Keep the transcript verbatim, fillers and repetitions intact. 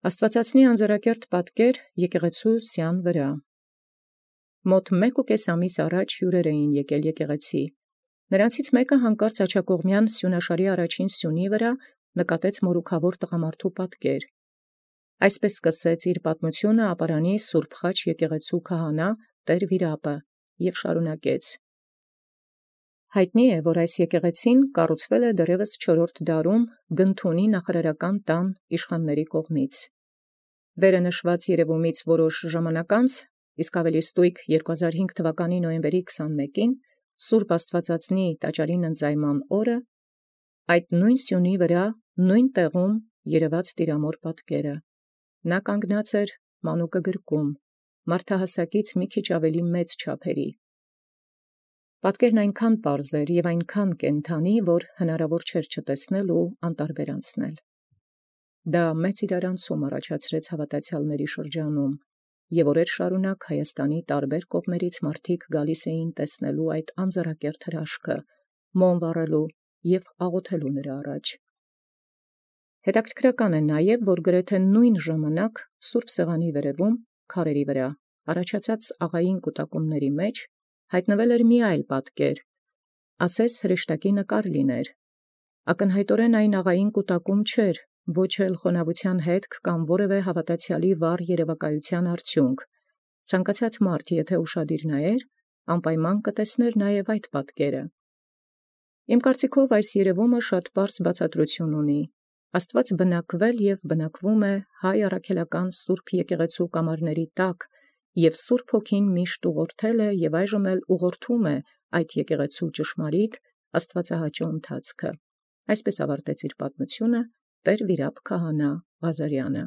Աստուածածնի անձրակերտ պատկեր եկեղեցու սյան վրա։ Մոտ մեկուկես ամիս առաջ հյուրեր էին եկել եկեղեցի։ Նրանցից մեկը հանկարծ աջակողմյան սյունաշարի առաջին սյունի վրա նկատեց մորուքավոր տղամարդու պատկեր։ Այսպես սկսեց իր պատմությունը ապարանի Սուրբ Խաչ եկեղեցու քահանա տեր Վիրապը և շարունակեց. հայտնի է, որ այս եկեղեցին կառուցվել է դեռևս չորրորդ դարում Գնթունի նախարարական տան իշխանների կողմից։ Վերը նշված երևումից որոշ ժամանակ անց, իսկ ավելի ստույգ երկու հազար հինգ թվականի նոյեմբերի քսանմեկին, Սուրբ Աստուածածնի տաճարին ընծայման օրը, այդ նույն սյունի վրա, նույն տեղում երևաց տիրամոր պատկերը։ Նա կանգնած էր մանուկը գրկում, մարդահասակից մի քիչ ավելի մեծ չափերի։ Պատկերն այնքան պարզ էր և այնքան կենդանի, որ հնարավոր չէր չտեսնել ու անտարբեր անցնել։ Դա մեծ իրարանցում առաջացրեց հավատացյալների շրջանում, և օրեր շարունակ Հայաստանի տարբեր կողմերից մարդիկ գալիս էին տեսնելու այդ անձեռակերտ հրաշքը, մոմ վառելու և աղոթելու նրա առաջ։ Հետաքրքրական է նաև, որ գրեթե նույն ժամանակ սուրբ սեղանի վերևում, քարերի վրա, առաջացած աղային կուտակումների մեջ հայտնվել էր մի այլ պատկեր, ասես հրեշտակի նկար լիներ։ Ակնհայտորեն այն աղային կուտակում չէր, ոչ էլ խոնավության հետք կամ որևէ հավատացյալի վառ երևակայության արդյունք։ Ցանկացած մարդ, եթե ուշադիր նայեր, անպայման կտեսներ նաև այդ պատկերը։ Իմ կարծիքով այս երևումը շատ պարզ բացատրություն ունի։ Աստված բնակվել և բնակվում է հայ առաքելական սուրբ եկեղեցու կամարների տակ, և Սուրբ Հոգին միշտ ուղղորդել է և այժմ էլ ուղղորդում է այդ եկեղեցու ճշմարիտ աստվածահաճո ընթացքը։ Այսպես ավարտեց իր պատմությունը տեր Վիրապ քահանա Ղազարյանը։